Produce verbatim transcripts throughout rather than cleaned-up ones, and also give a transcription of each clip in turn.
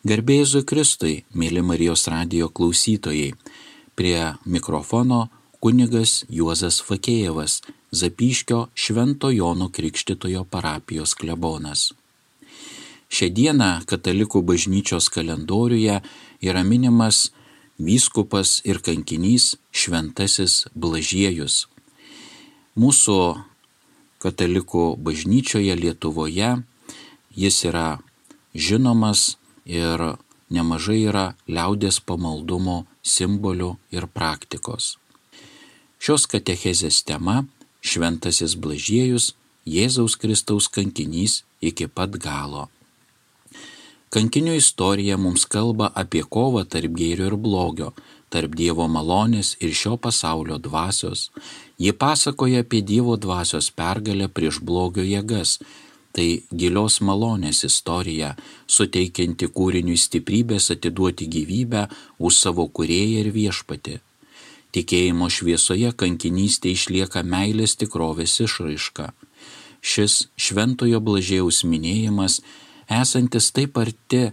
Garbė Jėzui Kristui, mėly Marijos radijo klausytojai, prie mikrofono kunigas Juozas Fakėjevas, Zapyškio Švento Jono Krikštytojo parapijos klebonas. Šią dieną katalikų bažnyčios kalendoriuje yra minimas vyskupas ir kankinys Šventasis Blažiejus. Mūsų katalikų bažnyčioje Lietuvoje jis yra žinomas ir nemažai yra liaudies pamaldumo simbolių ir praktikos. Šios katechezės tema – Šventasis Blažiejus, Jėzaus Kristaus kankinys iki pat galo. Kankinių istorija mums kalba apie kovą tarp gėrio ir blogio, tarp Dievo malonės ir šio pasaulio dvasios. Ji pasakoja apie Dievo dvasios pergalę prieš blogio jėgas. Tai gilios malonės istorija, suteikianti kūriniui stiprybės atiduoti gyvybę už savo kūrėją ir viešpatį. Tikėjimo šviesoje kankinystė išlieka meilės tikrovės išraiška. Šis Šventojo Blažiejaus minėjimas, esantis taip arti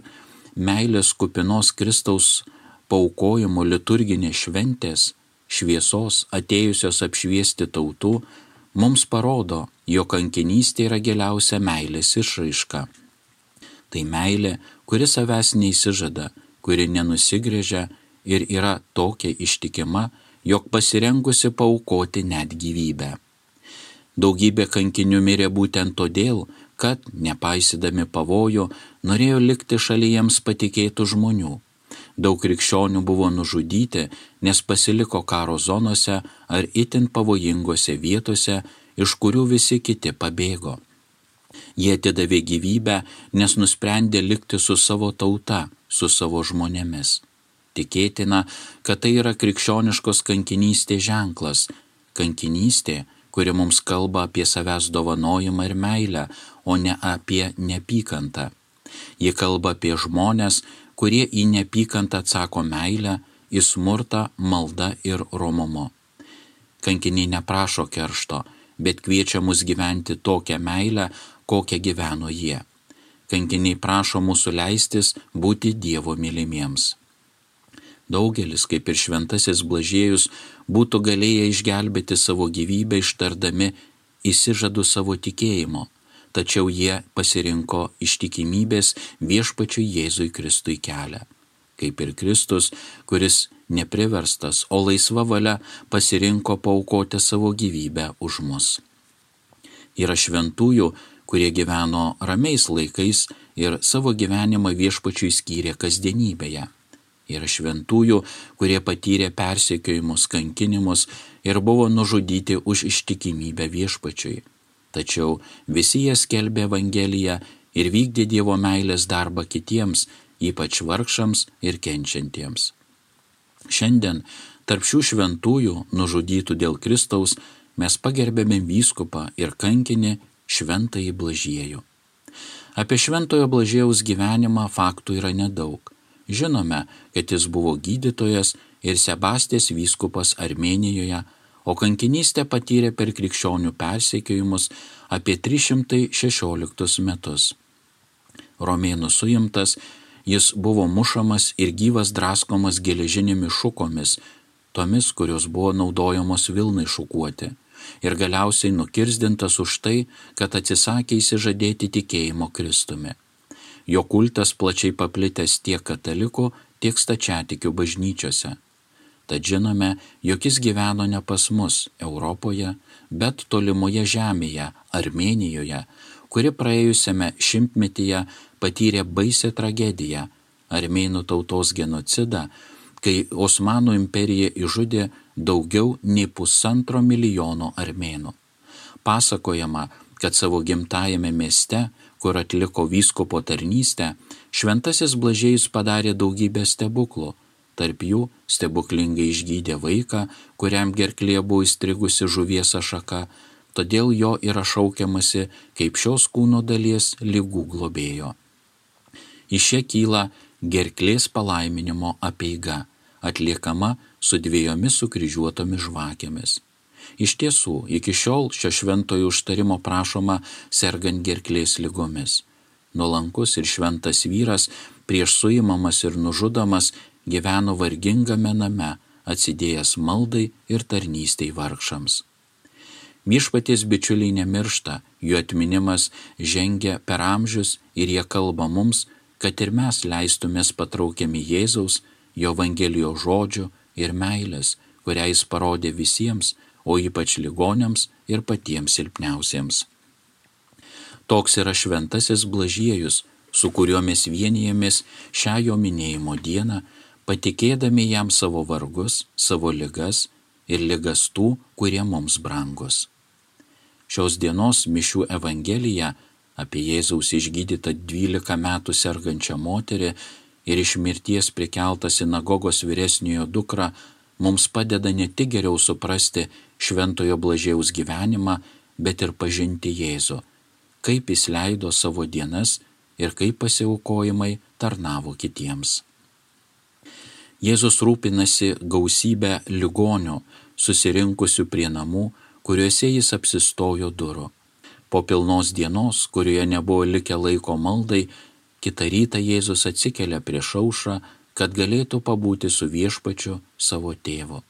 meilės kupinos Kristaus paaukojimo liturginės šventės, šviesos atėjusios apšviesti tautų, mums parodo, jog kankinystė yra giliausia meilės išraiška. Tai meilė, kuri savęs neįsižada, kuri nenusigręžia ir yra tokia ištikima, jog pasirengusi paaukoti net gyvybę. Daugybė kankinių mirė būtent todėl, kad, nepaisydami pavojų, norėjo likti šalia jiems patikėtų žmonių. Daug krikščionių buvo nužudyti, nes pasiliko karo zonose ar itin pavojingose vietose, iš kurių visi kiti pabėgo. Jie atidavė gyvybę, nes nusprendė likti su savo tauta, su savo žmonėmis. Tikėtina, kad tai yra krikščioniškos kankinystės ženklas, kankinystė, kuri mums kalba apie savęs dovanojimą ir meilę, o ne apie neapykantą. Ji kalba apie žmonės, kurie į neapykantą atsako meilę, į smurtą, maldą ir romumu. Kankiniai neprašo keršto, bet kviečia mus gyventi tokią meilę, kokią gyveno jie. Kankiniai prašo mūsų leistis būti Dievo mylimiems. Daugelis, kaip ir Šventasis Blažiejus, būtų galėję išgelbėti savo gyvybę ištardami įsižadu savo tikėjimo, tačiau jie pasirinko ištikimybės viešpačiui Jėzui Kristui kelią. Kaip ir Kristus, kuris nepriverstas, o laisva valia pasirinko paaukoti savo gyvybę už mus. Yra šventųjų, kurie gyveno ramiais laikais ir savo gyvenimą viešpačiui skyrė kasdienybėje. Yra šventųjų, kurie patyrė persekiojimus, kankinimus ir buvo nužudyti už ištikimybę viešpačiui. Tačiau visi jie skelbė Evangeliją ir vykdė Dievo meilės darbą kitiems, ypač vargšams ir kenčiantiems. Šiandien tarp šių šventųjų, nužudytų dėl Kristaus, mes pagerbėme vyskupą ir kankinį Šventąjį Blažiejų. Apie Šventojo Blažiejaus gyvenimą faktų yra nedaug. Žinome, kad jis buvo gydytojas ir Sebastės vyskupas Armėnijoje, o kankinystę patyrė per krikščionių persekiojimus apie tris šimtus šešioliktus metus. Romėnų suimtas, jis buvo mušamas ir gyvas draskomas geležinėmis šukomis, tomis, kurios buvo naudojamos vilnai šukuoti, ir galiausiai nukirzdintas už tai, kad atsisakė įsižadėti tikėjimo Kristumi. Jo kultas plačiai paplitęs tiek katalikų, tiek stačiatikių bažnyčiose. Tad žinome, jog jis gyveno ne pas mus, Europoje, bet tolimoje žemėje, Armėnijoje, kuri praėjusiame šimtmetyje patyrė baisią tragediją, armėnų tautos genocidą, kai Osmanų imperija išžudė daugiau nei pusantro milijono armėnų. Pasakojama, kad savo gimtajame mieste, kur atliko vyskupo tarnystę, Šventasis Blažiejus padarė daugybę stebuklų. Tarp jų stebuklingai išgydė vaiką, kuriam gerklėje buvo įstrigusi žuvies ašaka, todėl jo yra šaukiamasi kaip šios kūno dalies ligų globėjo. Iš čia kyla gerklės palaiminimo apeiga, atliekama su dviejomis sukryžiuotomis žvakėmis. Iš tiesų, iki šiol šio šventojo užtarimo prašoma sergant gerklės ligomis. nuolankus ir šventas vyras, prieš suimamas ir nužudomas, gyveno vargingame name, atsidėjęs maldai ir tarnystei vargšams. Viešpaties bičiuliai nemiršta, jų atminimas žengia per amžius ir jie kalba mums, kad ir mes leistumės patraukiami Jėzaus, jo Evangelijos žodžių ir meilės, kurią jis parodė visiems, o ypač ligoniams ir patiems silpniausiems. Toks yra šventasis Blažiejus, su kuriuo mes vienijamės šią jo minėjimo dieną, patikėdami jam savo vargus, savo ligas ir ligas tų, kurie mums brangus. Šios dienos mišių Evangelija apie Jėzaus išgydytą dvylika metų sergančią moterį ir iš mirties prikeltą sinagogos vyresniojo dukrą mums padeda ne tik geriau suprasti šventojo Blažiejaus gyvenimą, bet ir pažinti Jėzų, kaip jis leido savo dienas ir kaip pasiaukojimai tarnavo kitiems. Jėzus rūpinasi gausybę ligonių, susirinkusių prie namų, kuriuose jis apsistojo durų. Po pilnos dienos, kurioje nebuvo likę laiko maldai, kitą rytą Jėzus atsikelia prieš aušrą, kad galėtų pabūti su viešpačiu savo tėvu.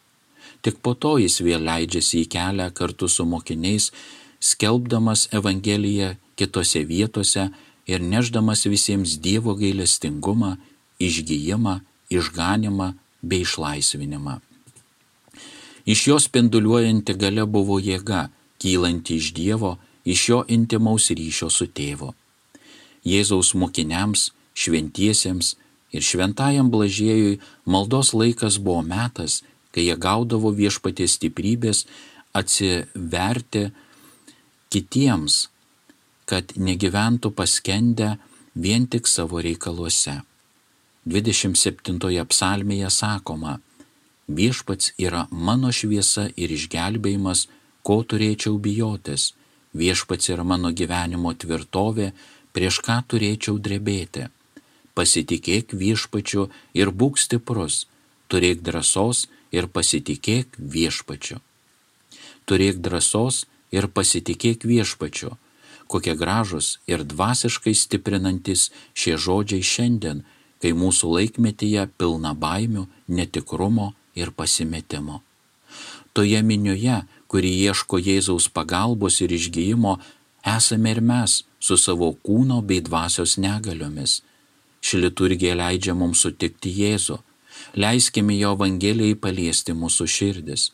Tik po to jis vėl leidžiasi į kelią kartu su mokiniais, skelbdamas Evangeliją kitose vietose ir nešdamas visiems Dievo gailestingumą, išgijimą, išganimą bei išlaisvinimą. Iš jo spinduliuojanti galia buvo jėga, kylanti iš Dievo, iš jo intimaus ryšio su tėvu. Jėzaus mokiniams, šventiesiems ir šventajam Blažiejui maldos laikas buvo metas, kai jie gaudavo viešpaties stiprybės atsiverti kitiems, kad negyventų paskendę vien tik savo reikaluose. dvidešimt septintoje psalmėje sakoma: viešpats yra mano šviesa ir išgelbėjimas, ko turėčiau bijotis. Viešpats yra mano gyvenimo tvirtovė, prieš ką turėčiau drebėti. Pasitikėk viešpačiu ir būk stiprus, turėk drąsos ir pasitikėk viešpačiu. Turėk drąsos ir pasitikėk viešpačiu. Kokie gražus ir dvasiškai stiprinantis šie žodžiai šiandien, kai mūsų laikmetyje pilna baimių, netikrumo ir pasimetimo. Toje minioje, kuri ieško Jėzaus pagalbos ir išgijimo, esame ir mes su savo kūno bei dvasios negaliomis. Ši liturgija leidžia mums sutikti Jėzų. Leiskime jo Evangelijai paliesti mūsų širdis.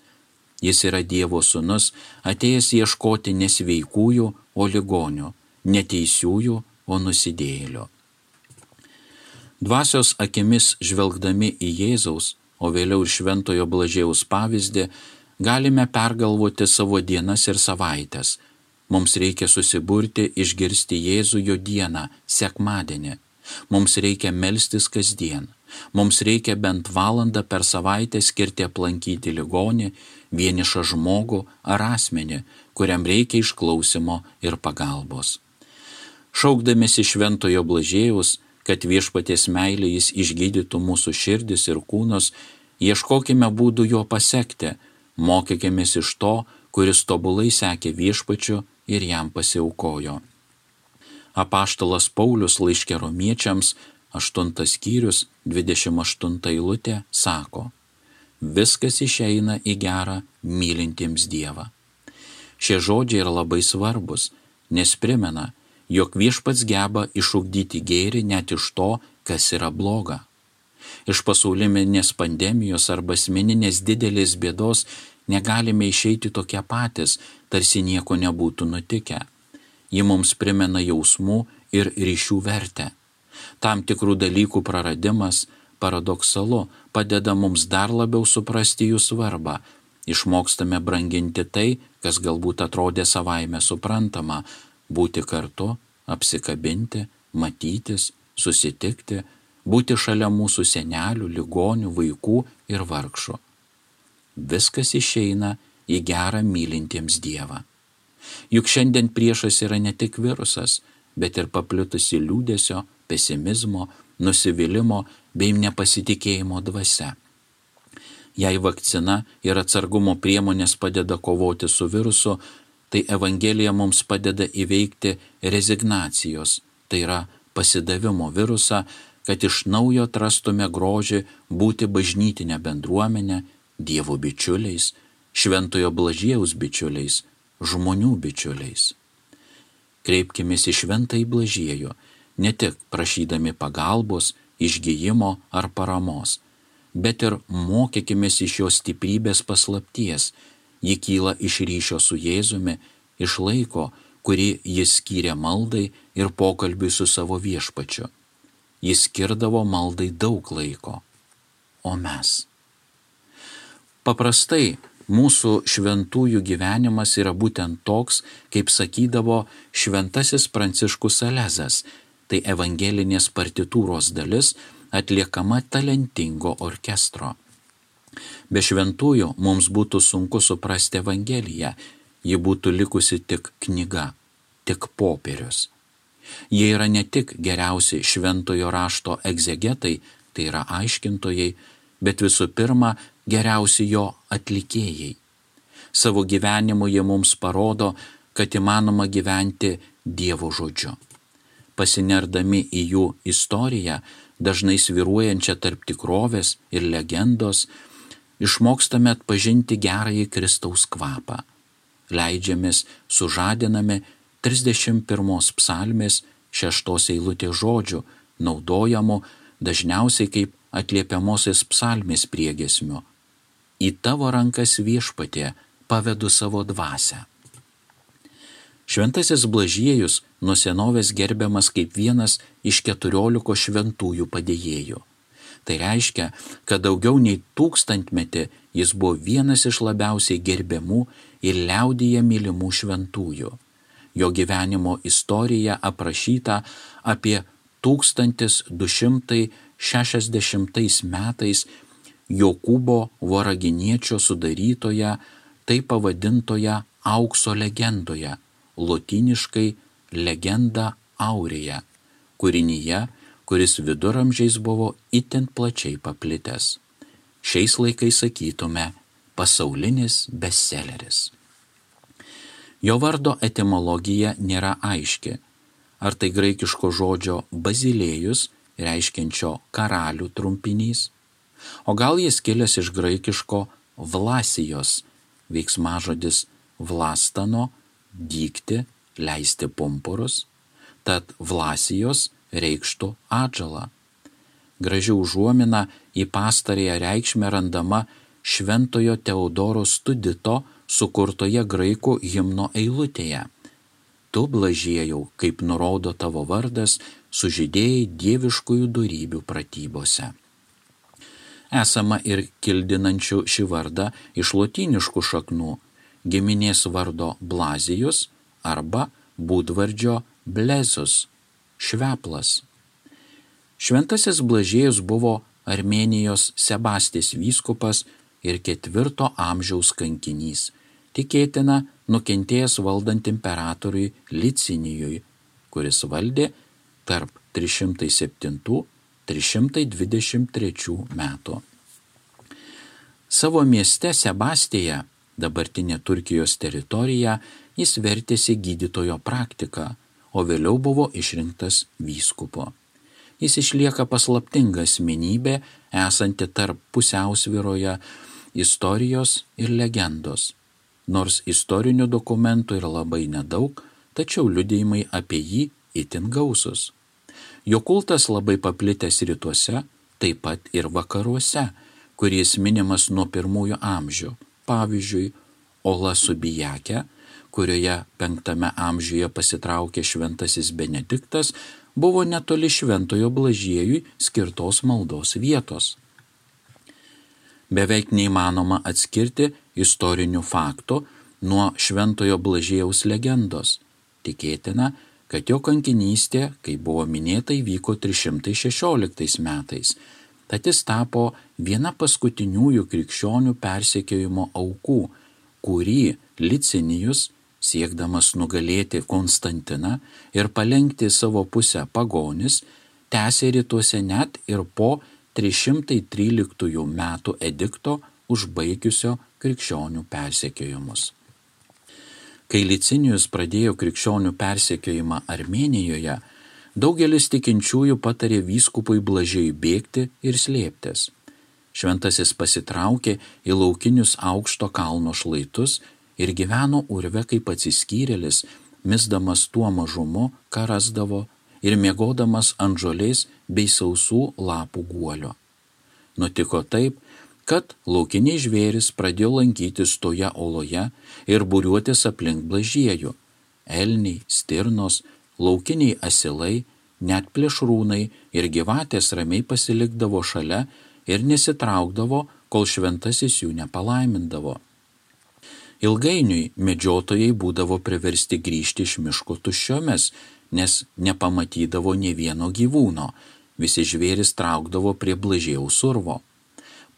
Jis yra Dievo sūnus, atėjęs ieškoti nesveikųjų, o ligonių, neteisiųjų, o nusidėjėlių. Dvasios akimis žvelgdami į Jėzaus, o vėliau ir šventojo Blažiejaus pavyzdį, galime pergalvoti savo dienas ir savaitės. Mums reikia susiburti, išgirsti Jėzų jo dieną, sekmadienį. Mums reikia melstis kasdien. Mums reikia bent valandą per savaitę skirti aplankyti ligonį, vienišą žmogų ar asmenį, kuriam reikia išklausimo ir pagalbos. Šaukdamėsi šventojo Blažiejaus, kad viešpaties meilė jis išgydytų mūsų širdis ir kūnus, ieškokime būdų jo pasekti, mokykimės iš to, kuris tobulai sekė viešpačiu ir jam pasiaukojo. Apaštalas Paulius laiške Romiečiams, aštuntas skyrius, dvidešimt aštunta eilutė, sako: viskas išeina į gerą mylintiems Dievą. Šie žodžiai yra labai svarbus, nes primena, jog viešpats geba išugdyti gėrį net iš to, kas yra bloga. Iš pasauliminės pandemijos arba asmeninės didelės bėdos negalime išeiti tokie patys, tarsi nieko nebūtų nutikę. Ji mums primena jausmų ir ryšių vertę. Tam tikrų dalykų praradimas, paradoksalu, padeda mums dar labiau suprasti jų svarbą. Išmokstame branginti tai, kas galbūt atrodė savaime suprantama, būti kartu, apsikabinti, matytis, susitikti, būti šalia mūsų senelių, ligonių, vaikų ir vargšų. Viskas išeina į gerą mylintiems Dievą. Juk šiandien priešas yra ne tik virusas, bet ir paplitusi liūdesio, pesimizmo, nusivylimo bei nepasitikėjimo dvasia. Jei vakcina ir atsargumo priemonės padeda kovoti su virusu, tai Evangelija mums padeda įveikti rezignacijos, tai yra pasidavimo virusą, kad iš naujo atrastume grožį būti bažnytinę bendruomenę, Dievo bičiuliais, Šventojo Blažiejaus bičiuliais, žmonių bičiuliais. Kreipkimės į Šventąjį Blažiejų, ne tik prašydami pagalbos, išgijimo ar paramos, bet ir mokykimės iš jo stiprybės paslapties. Ji kyla iš ryšio su Jėzumi, iš laiko, kurį jis skyrė maldai ir pokalbiui su savo viešpačiu. Jis skirdavo maldai daug laiko. O mes? Paprastai mūsų šventųjų gyvenimas yra būtent toks, kaip sakydavo šventasis Pranciškus Salezas, tai evangelinės partitūros dalis atliekama talentingo orkestro. Be šventųjų mums būtų sunku suprasti Evangeliją, ji būtų likusi tik knyga, tik popierius. Jie yra ne tik geriausi šventojo rašto egzegetai, tai yra aiškintojai, bet visų pirma geriausi jo atlikėjai. Savo gyvenimu jie mums parodo, kad įmanoma gyventi Dievo žodžiu. Pasinerdami į jų istoriją, dažnai svyruojančią tarp tikrovės ir legendos, išmokstame atpažinti gerąjį Kristaus kvapą. Leidžiamės sužadinami trisdešimt pirmos psalmės šeštos eilutės žodžių, naudojamų dažniausiai kaip atliepiamosios psalmės priegiesmiu. Į tavo rankas, Viešpatie, pavedu savo dvasią. Šventasis Blažiejus nuo senovės gerbiamas kaip vienas iš keturiolikos šventųjų padėjėjų. Tai reiškia, kad daugiau nei tūkstantmetį jis buvo vienas iš labiausiai gerbiamų ir liaudyje mylimų šventųjų. Jo gyvenimo istorija aprašyta apie tūkstantis du šimtai šešiasdešimtais metais Jokūbo Voraginiečio sudarytoje, taip pavadintoje aukso legendoje, lotyniškai legenda aurėje, kūrinyje, kuris viduramžiais buvo itin plačiai paplitęs. Šiais laikais sakytume pasaulinis bestselleris. Jo vardo etimologija nėra aiški, ar tai graikiško žodžio bazilėjus, reiškiančio karalių trumpinys, o gal jis kilęs iš graikiško vlasijos, veiksmažodis vlastano, dygti, leisti pumpurus, tad vlasijos reikštų atžalą. Graži užuomina į pastarąją reikšmę randama Šventojo Teodoro Studito sukurtoje graikų himno eilutėje. Tu, Blažiejau, kaip nurodo tavo vardas, sužydėjai dieviškųjų dorybių pratybose. Esama ir kildinančių šį vardą iš lotyniškų šaknų, giminės vardo Blazijus arba būdvardžio Blezus, šveplas. Šventasis Blažiejus buvo Armėnijos Sebastės vyskupas ir ketvirto amžiaus kankinys, tikėtina nukentėjęs valdant imperatoriui Licinijui, kuris valdė tarp trys šimtai septintų - trys šimtai dvidešimt trečių metų. Savo mieste Sebastėje, dabartinė Turkijos teritorija, jis vertėsi gydytojo praktiką, o vėliau buvo išrinktas vyskupu. Jis išlieka paslaptinga asmenybė, esanti tarp pusiausvyroje istorijos ir legendos. Nors istorinių dokumentų yra labai nedaug, tačiau liudijimai apie jį itin gausus. Jo kultas labai paplitęs rytuose, taip pat ir vakaruose, kuris minimas nuo pirmųjų amžių. Pavyzdžiui, Ola Subijake, kurioje penktame amžiuje pasitraukė šventasis Benediktas, buvo netoli Šventojo Blažiejui skirtos maldos vietos. Beveik neįmanoma atskirti istorinių faktų nuo Šventojo Blažiejaus legendos. Tikėtina, kad jo kankinystė, kaip buvo minėta, įvyko trys šimtai šešioliktais metais. Tad jis tapo viena paskutiniųjų krikščionių persekiojimo aukų, kurį Licinijus, siekdamas nugalėti Konstantiną ir palenkti savo pusę pagonis, tęsė rytuose net ir po trys šimtai tryliktųjų metų edikto užbaigiusio krikščionių persekiojimus. Kai Licinijus pradėjo krikščionių persekiojimą Armėnijoje, Daugelis tikinčiųjų patarė vyskupui Blažiejui bėgti ir slėptis. Šventasis pasitraukė į laukinius aukšto kalno šlaitus ir gyveno urve kaip atsiskyrėlis, misdamas tuo mažumu, ką rasdavo, ir miegodamas ant žolės bei sausų lapų guolio. Nutiko taip, kad laukiniai žvėris pradėjo lankytis toje oloje ir būriuotis aplink Blažiejų. Elniai, stirnos, laukiniai asilai, net plėšrūnai ir gyvatės ramiai pasilikdavo šalia ir nesitraukdavo, kol šventasis jų nepalaimindavo. Ilgainiui medžiotojai būdavo priversti grįžti iš miško tuščiomis, nes nepamatydavo nė vieno gyvūno, visi žvėris traukdavo prie Blažiejaus urvo.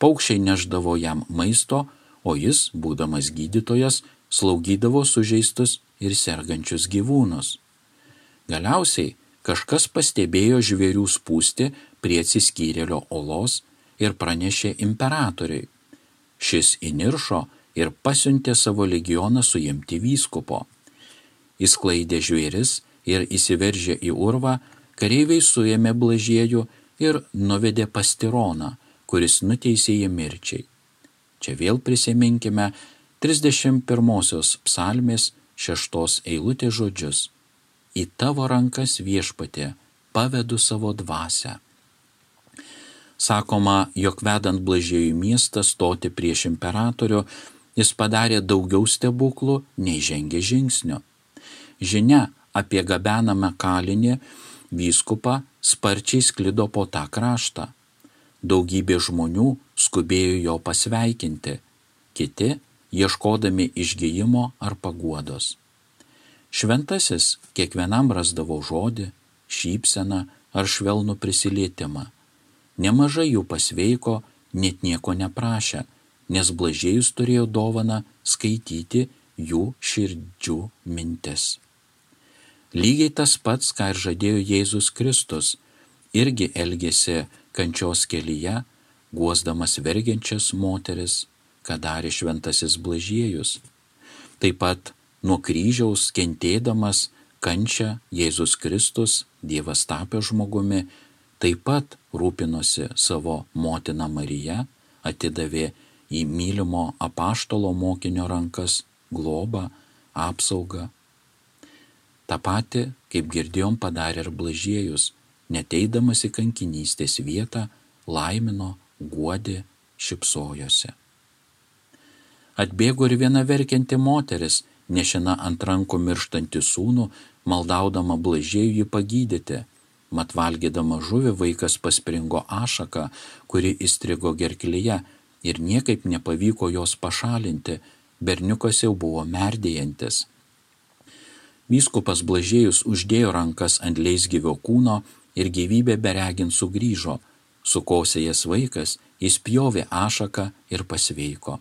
Paukščiai neždavo jam maisto, o jis, būdamas gydytojas, slaugydavo sužeistus ir sergančius gyvūnus. Galiausiai kažkas pastebėjo žvėrių spūstį prie atsiskyrėlio olos ir pranešė imperatoriui. Šis įniršo ir pasiuntė savo legioną suimti vyskupo. Įsklaidė žvėris ir įsiveržė į urvą, kareiviai suėmė Blažiejų ir nuvedė pas Tironą, kuris nuteisė jį mirčiai. Čia vėl prisiminkime trisdešimt pirmosios psalmės šeštos eilutės žodžius. Į tavo rankas, Viešpatie, pavedu savo dvasią. Sakoma, jog vedant Blažiejų miestą stoti prieš imperatorių, jis padarė daugiau stebuklų, nei žengė žingsnio. Žinia apie gabenamą kalinį vyskupą sparčiai sklido po tą kraštą. Daugybė žmonių skubėjo jo pasveikinti, kiti ieškodami išgijimo ar paguodos. Šventasis kiekvienam rasdavo žodį, šypseną ar švelnų prisilietimą. Nemažai jų pasveiko, net nieko neprašė, nes Blažiejus turėjo dovaną skaityti jų širdžių mintis. Lygiai tas pats, ką ir žadėjo Jėzus Kristus, irgi elgėsi kančios kelyje, guosdamas vergiančias moteris, ką darė šventasis Blažiejus. Taip pat nuo kryžiaus kentėdamas kančią Jėzus Kristus, Dievas tapęs žmogumi, taip pat rūpinosi savo motiną Mariją, atidavė į mylimo apaštalo mokinio rankas globą, apsaugą. Ta pati, kaip girdėjom, padarė ir Blažiejus, neteidamas į kankinystės vietą, laimino, guodė, šypsojosi. Atbėgo ir viena verkianti moteris, nešina ant rankų mirštantį sūnų, maldaudama Blažiejų jį pagydyti. Mat valgydama žuvį vaikas paspringo ašaką, kuri įstrigo gerklėje ir niekaip nepavyko jos pašalinti, berniukas jau buvo merdėjantis. Vyskupas Blažiejus uždėjo rankas ant leisgyvio kūno ir gyvybė beregint sugrįžo. Sukosėjęs vaikas, jis pjovė ašaką ir pasveiko.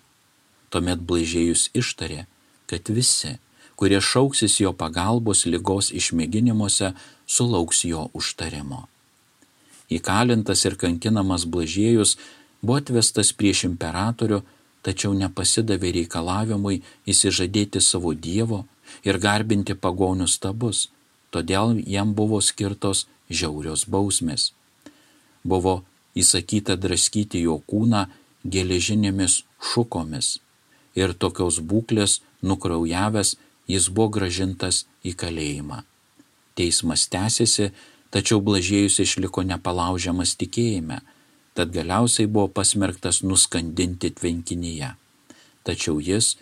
Tuomet Blažiejus ištarė, kad visi, kurie šauksis jo pagalbos ligos išmėginimuose, sulauks jo užtarimo. Įkalintas ir kankinamas Blažiejus buvo atvestas prieš imperatorių, tačiau nepasidavė reikalavimui įsižadėti savo Dievo ir garbinti pagonių stabus, todėl jam buvo skirtos žiaurios bausmės. Buvo įsakyta draskyti jo kūną geležinėmis šukomis ir tokios būklės nukraujavęs jis buvo grąžintas į kalėjimą. Teismas tęsėsi, tačiau Blažiejus išliko nepalaužiamas tikėjime, tad galiausiai buvo pasmerktas nuskandinti tvenkinyje. Tačiau jis,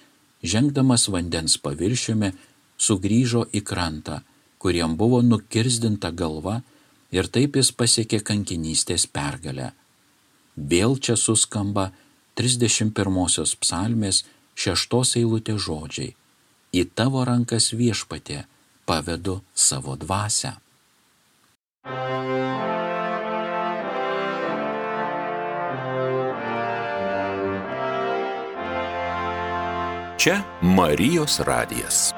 žengdamas vandens paviršiumi, sugrįžo į krantą, kuriam buvo nukirzdinta galva, ir taip jis pasiekė kankinystės pergalę. Vėl čia suskamba trisdešimt pirmosios psalmės šeštos eilutės žodžiai. Į tavo rankas, Viešpatie, pavedu savo dvasią. Čia Marijos radijas.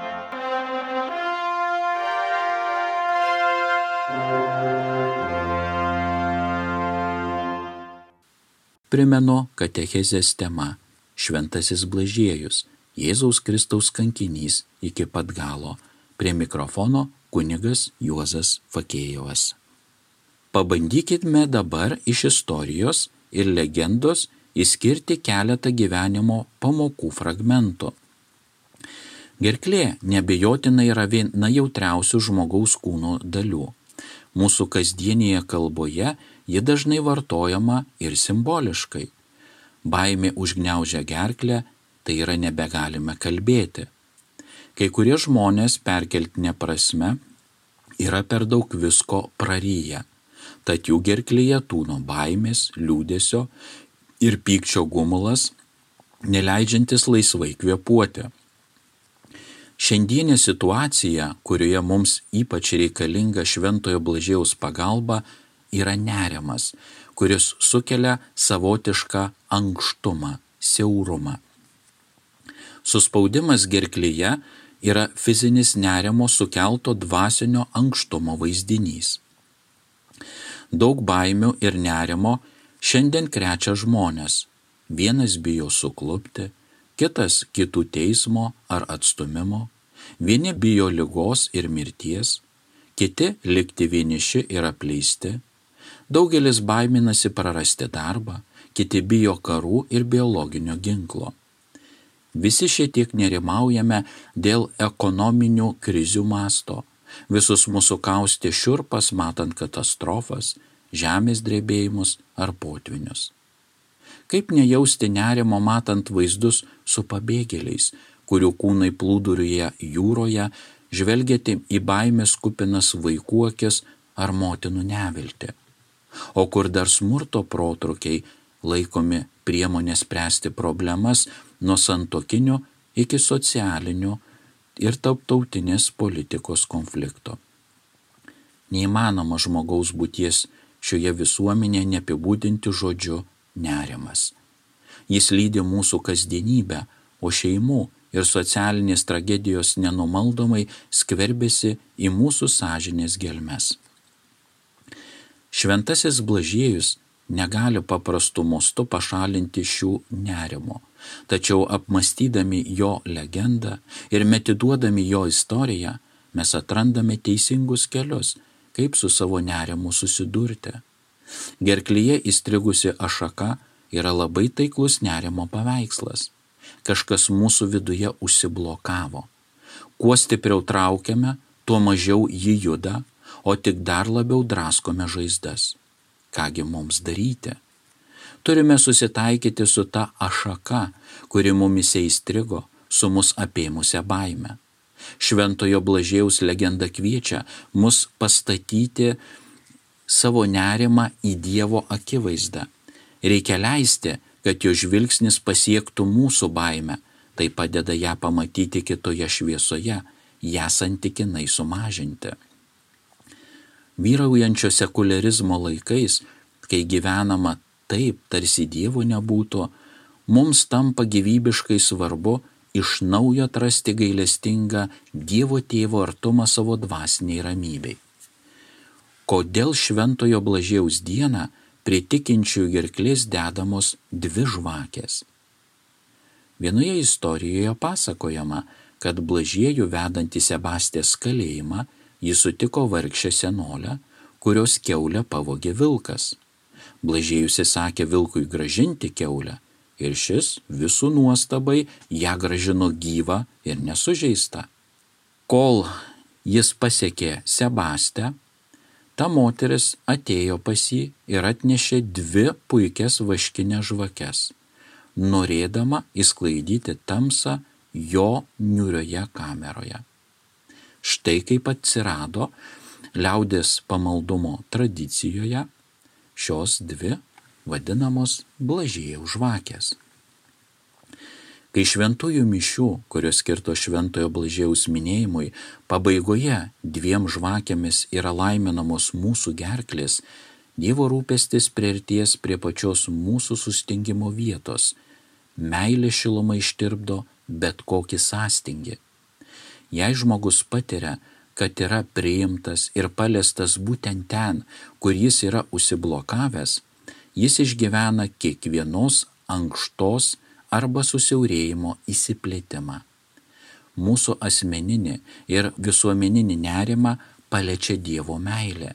Primenu katechezės tema Šventasis Blažiejus, Jėzaus Kristaus kankinys iki pat galo. Prie mikrofono kunigas Juozas Fakėjevas. Pabandykime dabar iš istorijos ir legendos išskirti keletą gyvenimo pamokų fragmentų. Gerklė neabejotinai yra viena jautriausių žmogaus kūno dalių. Mūsų kasdienėje kalboje ji dažnai vartojama ir simboliškai. Baimė užgniaužia gerklę, tai yra nebegalime kalbėti. Kai kurie žmonės perkeltine prasme yra per daug visko praryję, tad jų gerklėje tūno baimės, liūdesio ir pykčio gumulas, neleidžiantis laisvai kvėpuoti. Šiandienė situacija, kurioje mums ypač reikalinga Šventojo Blažiejaus pagalba, yra nerimas, kuris sukelia savotišką ankštumą, siaurumą. Suspaudimas gerklėje yra fizinis nerimo sukelto dvasinio ankštumo vaizdinys. Daug baimių ir nerimo šiandien krečia žmonės. Vienas bijo suklupti, kitas kitų teismo ar atstumimo, vieni bijo ligos ir mirties, kiti likti vieniši ir apleisti, daugelis baiminasi prarasti darbą, kiti bijo karų ir biologinio ginklo. Visi šietiek nerimaujame dėl ekonominių krizių masto, visus mūsų kaustė šiurpas matant katastrofas, žemės drebėjimus ar potvinius. Kaip nejausti nerimo matant vaizdus su pabėgėliais, kurių kūnai plūduriuoja jūroje, žvelgiate į baimės kupinas vaikų akis ar motinų neviltį. O kur dar smurto protrukiai laikomi priemonė spręsti problemas nuo santuokinių iki socialinių ir tarptautinės politikos konflikto. Neįmanoma žmogaus būties šioje visuomenėje neapibūdinti žodžiu nerimas. Jis lydi mūsų kasdienybę, o šeimų ir socialinės tragedijos nenumaldomai skverbėsi į mūsų sąžinės gelmes. Šventasis Blažiejus negali paprastu mostu pašalinti šių nerimo, tačiau apmastydami jo legendą ir metiduodami jo istoriją, mes atrandame teisingus kelius, kaip su savo nerimu susidurti. Gerklyje įstrigusi ašaka yra labai taiklus nerimo paveikslas. Kažkas mūsų viduje užsiblokavo. Kuo stipriau traukiame, tuo mažiau jį juda, o tik dar labiau draskome žaizdas. Kągi mums daryti? Turime susitaikyti su ta ašaka, kuri mumise įstrigo, su mus apėmusią baimę. Šventojo Blažiejaus legenda kviečia mus pastatyti savo nerimą į Dievo akivaizdą. Reikia leisti, kad jo žvilgsnis pasiektų mūsų baimę, tai padeda ją pamatyti kitoje šviesoje, ją santykinai sumažinti. Vyraujančio sekuliarizmo laikais, kai gyvenama taip, tarsi Dievo nebūtų, mums tampa gyvybiškai svarbu iš naujo atrasti gailestingą Dievo Tėvo artumą savo dvasiniai ramybei. Kodėl Šventojo Blažiejaus dieną prie tikinčiųjų gerklės dedamos dvi žvakės? Vienoje istorijoje pasakojama, kad Blažiejų vedant į Sebastės kalėjimą jis sutiko vargšę senolę, kurios kiaulę pavogė vilkas. Blažiejus įsakė vilkui grąžinti kiaulę ir šis visų nuostabai ją grąžino gyvą ir nesužeistą. Kol jis pasiekė Sebastę, ta moteris atėjo pas jį ir atnešė dvi puikias vaškinės žvakes, norėdama išsklaidyti tamsą jo niūrioje kameroje. Štai kaip atsirado liaudės pamaldumo tradicijoje šios dvi vadinamos Blažiejaus žvakės. Kai šventųjų mišių, kurios skirto Šventojo Blažiejaus minėjimui, pabaigoje dviem žvakėmis yra laiminamos mūsų gerklės, Dievo rūpestis priartės prie pačios mūsų sustingimo vietos. Meilė šiluma ištirpdo bet kokį sąstingį. Jei žmogus patiria, kad yra priimtas ir paliestas būtent ten, kur jis yra užsiblokavęs, jis išgyvena kiekvienos ankštos arba susiaurėjimo įsiplėtimą. mūsų asmeninį ir visuomeninį nerimą paliečia Dievo meilė,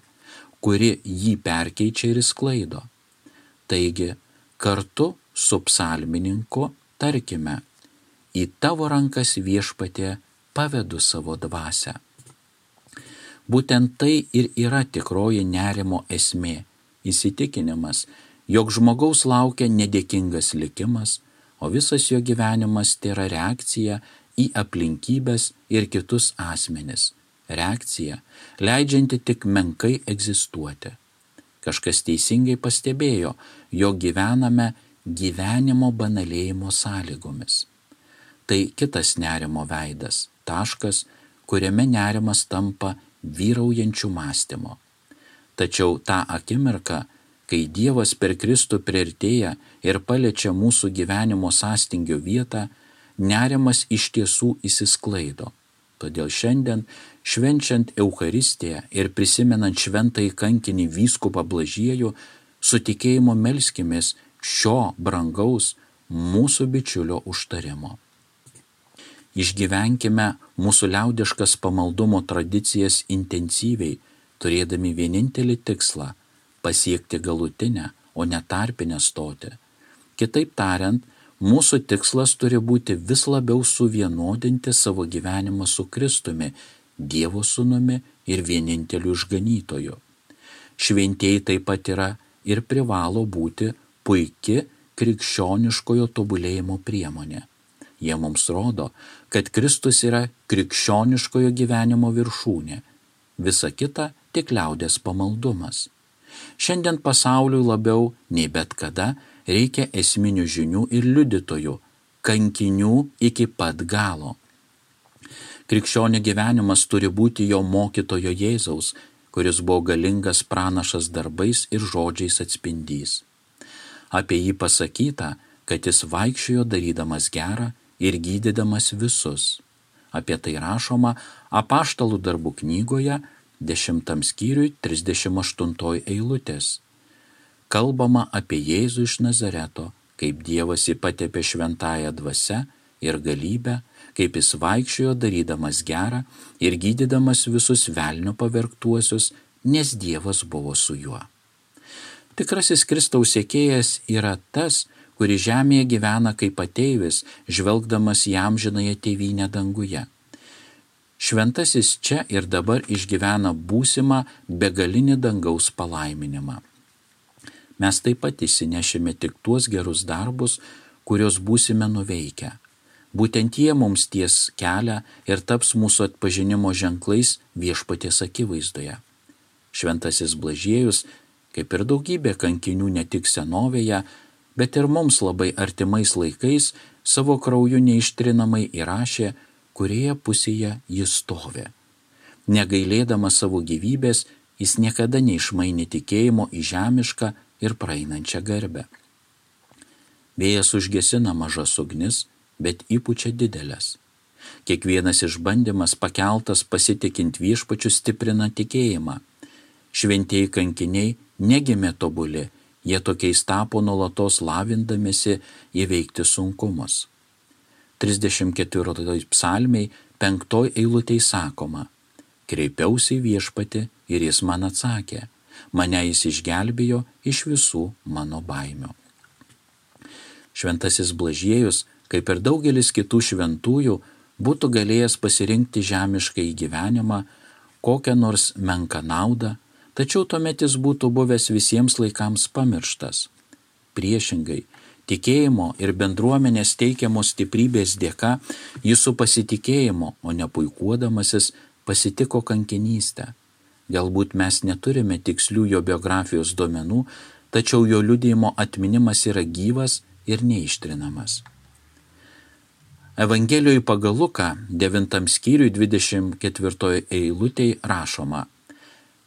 kuri jį perkeičia ir sklaido. Taigi, kartu su psalmininku tarkime: į tavo rankas, Viešpatie, pavedu savo dvasią. Būtent tai ir yra tikroji nerimo esmė – įsitikinimas, jog žmogaus laukia nedėkingas likimas, o visas jo gyvenimas tai yra reakcija į aplinkybes ir kitus asmenis. Reakcija, leidžianti tik menkai egzistuoti. Kažkas teisingai pastebėjo, jog gyvename gyvenimo banalėjimo sąlygomis. Tai kitas nerimo veidas, taškas, kuriame nerimas tampa vyraujančių mąstymo. Tačiau tą akimirką, kai Dievas per Kristų priartėja ir paliečia mūsų gyvenimo sąstingio vietą, nerimas iš tiesų išsisklaido. Todėl šiandien, švenčiant Eucharistiją ir prisimenant šventąjį kankinį vyskupą Blažiejų, su tikėjimu melskimės šio brangaus mūsų bičiulio užtarimo. Išgyvenkime mūsų liaudiškas pamaldumo tradicijas intensyviai, turėdami vienintelį tikslą – pasiekti galutinę, o ne tarpinę stotį. Kitaip tariant, mūsų tikslas turi būti vis labiau suvienodinti savo gyvenimą su Kristumi, Dievo sūnumi ir vieninteliu išganytoju. Šventieji taip pat yra ir privalo būti puiki krikščioniškojo tobulėjimo priemonė. Jie mums rodo, kad Kristus yra krikščioniškojo gyvenimo viršūnė, visa kita tik liaudės pamaldumas. Šiandien pasauliui labiau nei bet kada reikia esminių žinių ir liudytojų, kankinių iki pat galo. Krikščionio gyvenimas turi būti jo mokytojo Jėzaus, kuris buvo galingas pranašas darbais ir žodžiais atspindys. Apie jį pasakyta, kad jis vaikščiojo darydamas gerą ir gydydamas visus. Apie tai rašoma Apaštalų darbų knygoje, dešimtam skyriui, trisdešimt aštuntoj eilutės. Kalbama apie Jėzų iš Nazareto, kaip Dievas jį patepė šventąja dvasia ir galybę, kaip jis vaikščiojo darydamas gerą ir gydydamas visus velnio pavergtuosius, nes Dievas buvo su juo. Tikrasis Kristaus sekėjas yra tas, kuris žemėje gyvena kaip ateivis, žvelgdamas į amžinąją tėvynę danguje. Šventasis čia ir dabar išgyvena būsimą begalinį dangaus palaiminimą. Mes taip pat įsinešime tik tuos gerus darbus, kuriuos būsime nuveikę. Būtent jie mums ties kelią ir taps mūsų atpažinimo ženklais Viešpaties akivaizdoje. Šventasis Blažiejus, kaip ir daugybė kankinių ne tik senovėje, bet ir mums labai artimais laikais, savo krauju neištrinamai įrašė, kurioje pusėje jis stovi. Negailėdamas savo gyvybės, jis niekada neišmainė tikėjimo į žemišką ir praeinančią garbę. Vėjas užgesina mažas ugnis, bet įpučia didelės. Kiekvienas išbandymas pakeltas pasitikint Viešpačiu stiprina tikėjimą. Šventieji kankiniai negimė tobuli, jie tokiais tapo nuolatos lavindamėsi įveikti sunkumus. trisdešimt ketvirtoj psalmėj penktoj eilutėj sakoma: kreipiausi į Viešpatį ir jis man atsakė, mane jis išgelbėjo iš visų mano baimių. Šventasis Blažiejus, kaip ir daugelis kitų šventųjų, būtų galėjęs pasirinkti žemišką gyvenimą, kokią nors menką naudą, tačiau tuomet jis būtų buvęs visiems laikams pamirštas. Priešingai, tikėjimo ir bendruomenės teikiamos stiprybės dėka jis su pasitikėjimu, o ne puikuodamasis, pasitiko kankinystę. Galbūt mes neturime tikslių jo biografijos duomenų, tačiau jo liudijimo atminimas yra gyvas ir neištrinamas. Evangelijoje pagal Luką, devintam skyriui, dvidešimt ketvirtoj eilutėj rašoma: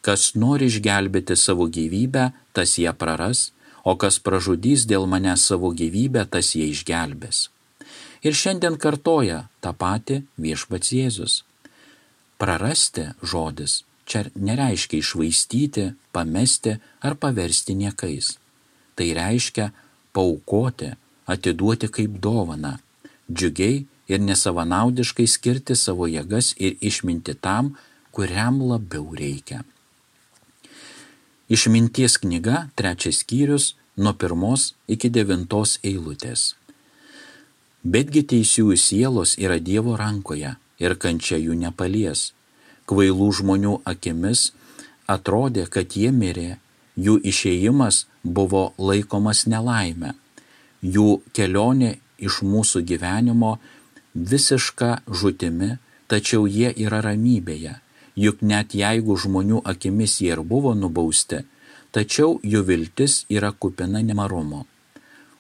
kas nori išgelbėti savo gyvybę, tas ją praras, o kas pražudys dėl manęs savo gyvybę, tas ją išgelbės. Ir šiandien kartoja tą patį Viešpats Jėzus. Prarasti žodis čia nereiškia išvaistyti, pamesti ar paversti niekais. Tai reiškia paaukoti, atiduoti kaip dovaną, džiugiai ir nesavanaudiškai skirti savo jėgas ir išminti tam, kuriam labiau reikia. Išminties knyga, trečias skyrius, nuo pirmos iki devintos eilutės. Betgi teisiųjų sielos yra Dievo rankoje ir kančia jų nepalies. Kvailų žmonių akimis atrodė, kad jie mirė, jų išėjimas buvo laikomas nelaime, jų kelionė iš mūsų gyvenimo visiška žūtimi, tačiau jie yra ramybėje, juk net jeigu žmonių akimis jie ir buvo nubausti, tačiau jų viltis yra kupina nemarumo.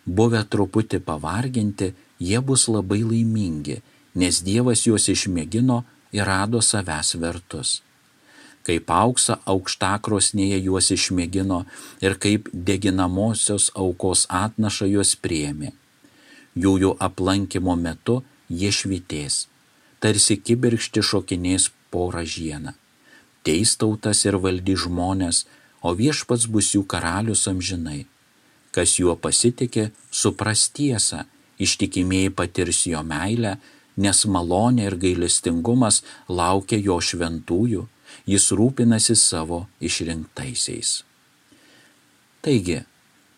Buvę truputį pavarginti, jie bus labai laimingi, nes Dievas juos išmėgino ir rado savęs vertus. Kaip auksą aukštakrosnėje juos išmėgino ir kaip deginamosios aukos atnašą juos priėmė. Jų jų aplankimo metu jie švytės, tarsi kibirkšti šokinės po ražieną. Teis tautas ir valdys žmonės, o viešpats bus jų karalius amžinai. Kas juo pasitikė, supras tiesą, ištikimieji patirs jo meilę, nes malonė ir gailestingumas laukia jo šventųjų, jis rūpinasi savo išrinktaisiais. Taigi,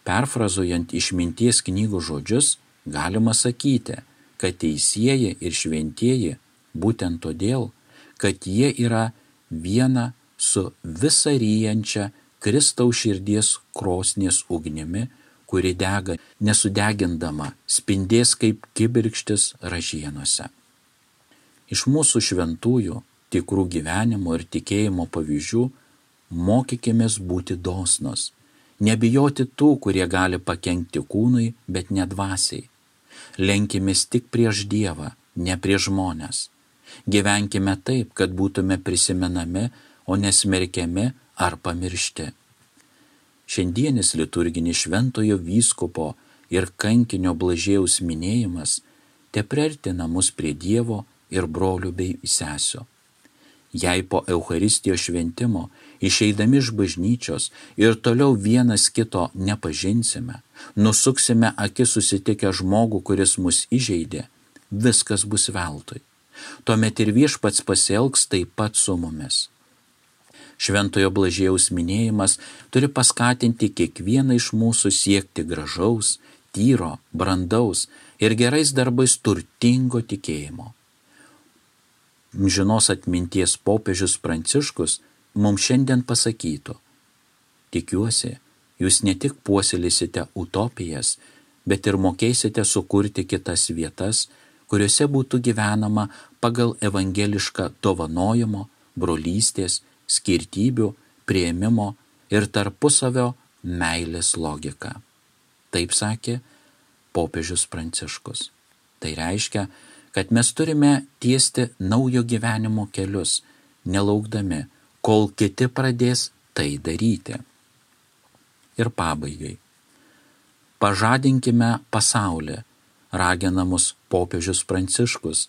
perfrazuojant išminties knygų žodžius, galima sakyti, kad teisieji ir šventieji būtent todėl, kad jie yra viena su visa ryjančia Kristaus širdies krosnies ugnimi, kuri dega nesudegindama, spindės kaip kibirkštis ražienose. Iš mūsų šventųjų, tikrų gyvenimo ir tikėjimo pavyzdžių mokykimės būti dosnus, nebijoti tų, kurie gali pakenkti kūnui, bet ne dvasiai. Lenkimės tik prieš Dievą, ne prieš žmones. Gyvenkime taip, kad būtume prisimenami, o nesmerkiami ar pamiršti. Šiandienis liturginis šventojo vyskupo ir kankinio Blažiejaus minėjimas te priartina mus prie Dievo ir brolių bei sesių. Jei po Eucharistijos šventimo, išeidami iš bažnyčios ir toliau vienas kito nepažinsime, nusuksime akis susitikę žmogų, kuris mus įžeidė, viskas bus veltui. Tuomet ir viešpats pasielgs taip pat su mumis. Šventojo Blažiejaus minėjimas turi paskatinti kiekvieną iš mūsų siekti gražaus, tyro, brandaus ir gerais darbais turtingo tikėjimo. Amžinos atminties popiežius Pranciškus mums šiandien pasakytų: tikiuosi, jūs ne tik puoselėsite utopijas, bet ir mokėsite sukurti kitas vietas, kuriuose būtų gyvenama pagal evangelišką dovanojimo, brolystės, skirtybių, priėmimo ir tarpusavio meilės logiką. Taip sakė popiežius Pranciškus. Tai reiškia, kad mes turime tiesti naujo gyvenimo kelius, nelaukdami, kol kiti pradės tai daryti. Ir pabaigai. Pažadinkime pasaulį, ragina mus popiežius Pranciškus,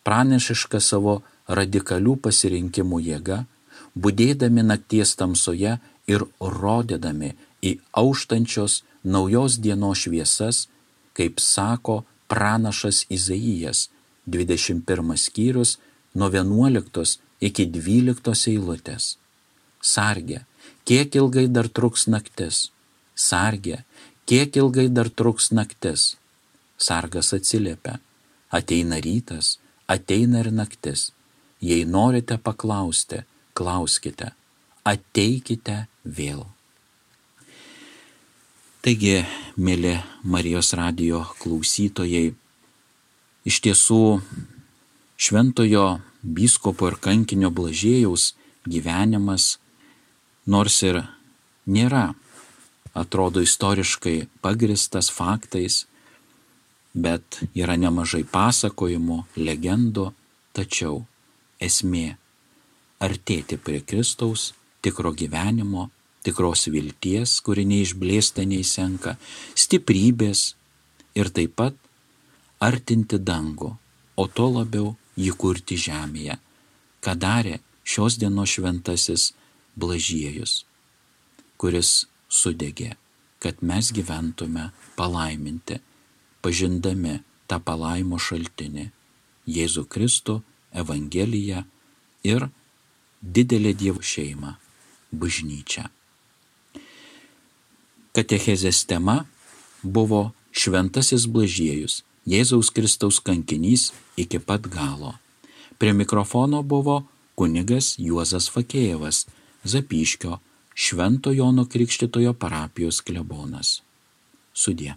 pranešiška savo radikalių pasirinkimų jėga, budėdami nakties tamsoje ir rodydami į auštančios naujos dienos šviesas, kaip sako pranašas Izaijas, dvidešimt pirmas skyrius, nuo vienuoliktos iki dvyliktos eilutės. Sarge, kiek ilgai dar truks naktis? Sarge, kiek ilgai dar truks naktis? Sargas atsiliepia: ateina rytas, ateina ir naktis. Jei norite paklausti, klauskite, ateikite vėl. Taigi, mėly Marijos radijo klausytojai, iš tiesų šventojo vyskupo ir kankinio Blažiejaus gyvenimas, nors ir nėra, atrodo, istoriškai pagristas faktais, bet yra nemažai pasakojimų, legendų, tačiau esmė artėti prie Kristaus, tikro gyvenimo, tikros vilties, kuri neišblėsta, neišsenka, stiprybės ir taip pat artinti dangų, o to labiau jį kurti žemėje, ką darė šios dienos šventasis Blažiejus, kuris sudegė, kad mes gyventume palaiminti, pažindami tą palaimo šaltinį, Jėzų Kristų, Evangeliją ir didelę Dievo šeimą – bažnyčią. Katechezės tema buvo Šventasis Blažiejus, Jėzaus Kristaus kankinys iki pat galo. Prie mikrofono buvo kunigas Juozas Fakėjevas, Zapyškio Švento Jono Krikštytojo parapijos klebonas. Sudie.